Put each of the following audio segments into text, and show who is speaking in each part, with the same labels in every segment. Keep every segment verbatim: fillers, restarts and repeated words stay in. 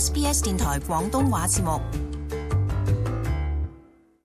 Speaker 1: S B S 電台廣東話節目。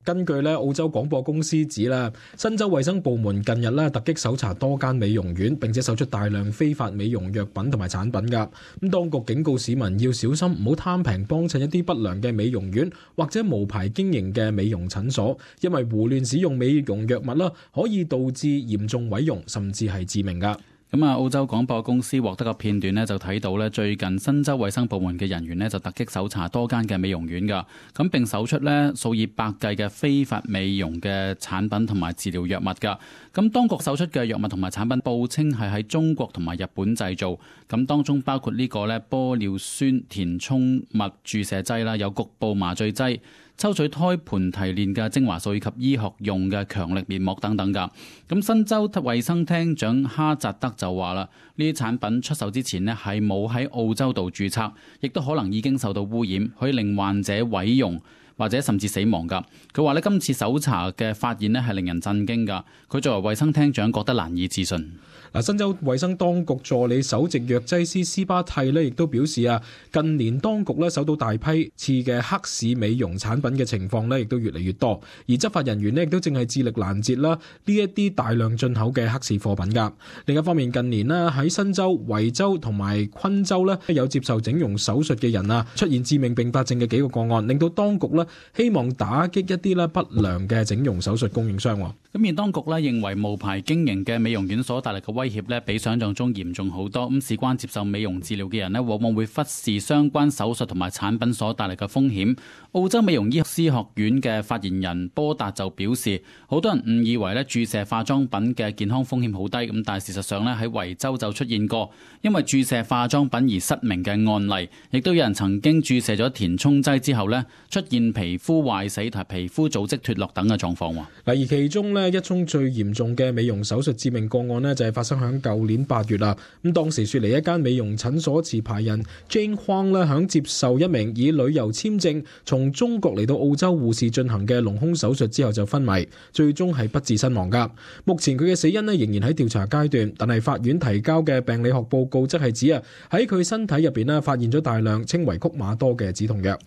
Speaker 2: 根據咧澳洲廣播公司指啦，新州衛生部門近日咧突擊搜查多間美容院，並且搜出大量非法美容藥品同埋產品噶。咁當局警告市民要小心，唔好貪平幫襯一啲不良嘅美容院或者無牌經營嘅美容診所，因為胡亂使用美容藥物啦，可以導致嚴重毀容，甚至係致命噶。
Speaker 3: 咁啊，澳洲廣播公司獲得嘅片段呢，就睇到呢最近新州衛生部門嘅人員呢，就突擊搜查多間嘅美容院噶，咁並搜出呢數以百計嘅非法美容嘅產品同埋治療藥物噶。咁當局搜出嘅藥物同埋產品報稱係喺中國同埋日本製造，咁當中包括呢個呢玻尿酸填充物注射劑啦，有局部麻醉劑、抽取胎盤提煉嘅精華素以及醫學用嘅強力面膜等等噶。咁新州衛生廳長哈扎德就話啦，呢啲產品出售之前呢係冇喺澳洲度註冊，亦都可能已經受到污染，可以令患者毀容或者甚至死亡噶。佢話呢，今次搜查嘅發現呢係令人震驚噶。佢作為衛生廳長覺得難以置信。
Speaker 2: 嗱，新州衛生當局助理首席藥劑師斯巴蒂呢亦都表示啊，近年當局呢搜到大批次嘅黑市美容產品嘅情況呢亦都越嚟越多，而執法人員呢亦都正係致力攔截啦呢一啲大量進口嘅黑市貨品噶。另一方面，近年呢喺新州、維州同埋昆州呢有接受整容手術嘅人啊出現致命併發症嘅幾個個案，令到當局呢希望打擊一啲呢不良嘅整容手術供應商。
Speaker 3: 咁而當局呢認為無牌經營嘅美容院所帶嚟嘅威脅呢比想象中嚴重好多。咁事關接受美容治療嘅人呢往往會忽視相關手術同埋產品所帶嚟嘅風險。澳洲美容醫師學院嘅發言人波達就表示，好多人誤以為呢注射化妝品嘅健康風險好低，咁但係事實上呢喺維州就出現過因為注射化妝品而失明嘅案例，亦都有人曾經注射咗填充劑之後呢出現皮膚壞死同皮膚組織脫落等嘅狀況。
Speaker 2: 嗱，而其中呢一宗最嚴重嘅美容手術致命個案呢就係發生響舊年八月啦。咁當時雪梨一間美容診所持牌人 Jane Huang 咧，響接受一名以旅遊簽證從中國嚟到澳洲護士進行嘅隆胸手術之後就昏迷，最終係不治身亡噶。目前佢嘅死因呢仍然喺調查階段，但係法院提交嘅病理學報告則係指啊喺佢身體入邊呢發現咗大量稱為曲馬多嘅止痛藥。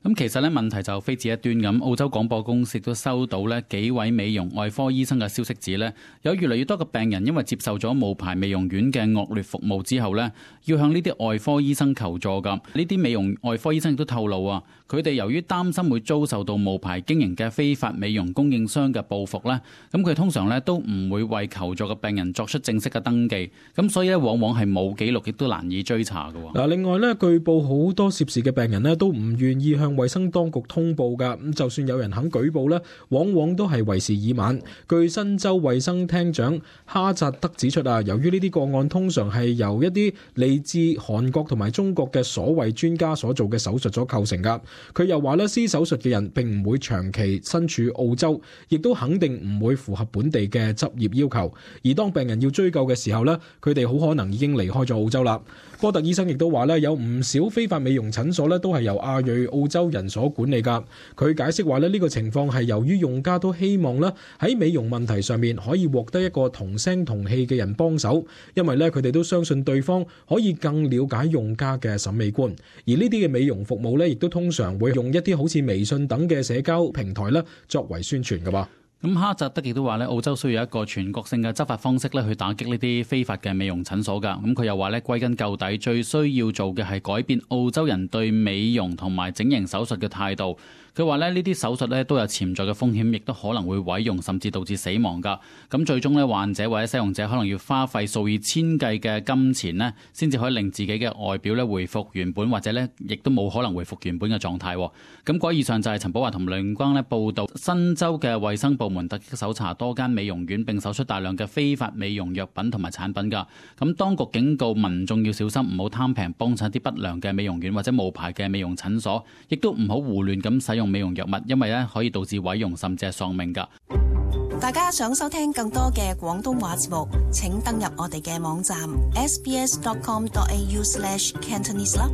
Speaker 3: 咁其實咧問題就非止一端咁，澳洲廣播公司都收到咧幾位美容外科醫生嘅消息指咧，有越嚟越多嘅病人因為接受咗無牌美容院嘅惡劣服務之後咧，要向呢啲外科醫生求助噶。呢啲美容外科醫生亦都透露啊，佢哋由於擔心會遭受到無牌經營嘅非法美容供應商嘅報復咧，咁佢通常咧都唔會為求助嘅病人作出正式嘅登記，咁所以咧往往係冇記錄，亦都難以追查嘅。
Speaker 2: 嗱，另外咧，據報好多涉事嘅病人咧都唔願意向衛生當局通報噶，咁就算有人肯舉報咧，往往都係為時已晚。據新州衛生廳長哈扎德指出啊，由於呢啲個案通常係由一啲嚟自韓國同埋中國嘅所謂專家所做嘅手術所構成噶。佢又話咧，施手術嘅人並唔會長期身處澳洲，亦都肯定唔會符合本地嘅執業要求。而當病人要追究嘅時候咧，佢哋好可能已經離開咗澳洲啦。波特醫生亦都話咧，有唔少非法美容診所咧都係由亞裔澳洲人所管理噶。佢解釋話咧，呢個情況係由於用家都希望咧喺美容問題上面可以獲得一個同聲同氣嘅人幫手，因為咧佢哋都相信對方可以更了解用家嘅審美觀。而呢啲嘅美容服務咧，亦都通常會用一啲好似微信等嘅社交平台咧作為宣傳噶噃。
Speaker 3: 咁哈扎德亦都話咧，澳洲需要一個全國性嘅執法方式咧，去打擊呢啲非法嘅美容診所㗎。咁佢又話咧，歸根究底，最需要做嘅係改變澳洲人對美容同埋整形手術嘅態度。佢話咧，呢啲手術咧都有潛在嘅風險，亦都可能會毀容，甚至導致死亡㗎。咁最終咧，患者或者使用者可能要花費數以千計嘅金錢呢，先至可以令自己嘅外表咧回復原本，或者咧亦都冇可能回復原本嘅狀態。咁嗰以上就係陳寶華同梁光咧報道，新州嘅衛生部門突擊搜查多間美容院，並搜出大量嘅非法美容藥品同埋產品㗎。咁當局警告民眾要小心，唔好貪平幫襯啲不良嘅美容院或者無牌嘅美容診所，亦都唔好胡亂咁使用美容藥物，因為咧可以導致毀容甚至係喪命㗎。
Speaker 1: 大家想收聽更多嘅廣東話節目，請登入我哋嘅網站 s b s dot com dot a u slash cantonese 啦。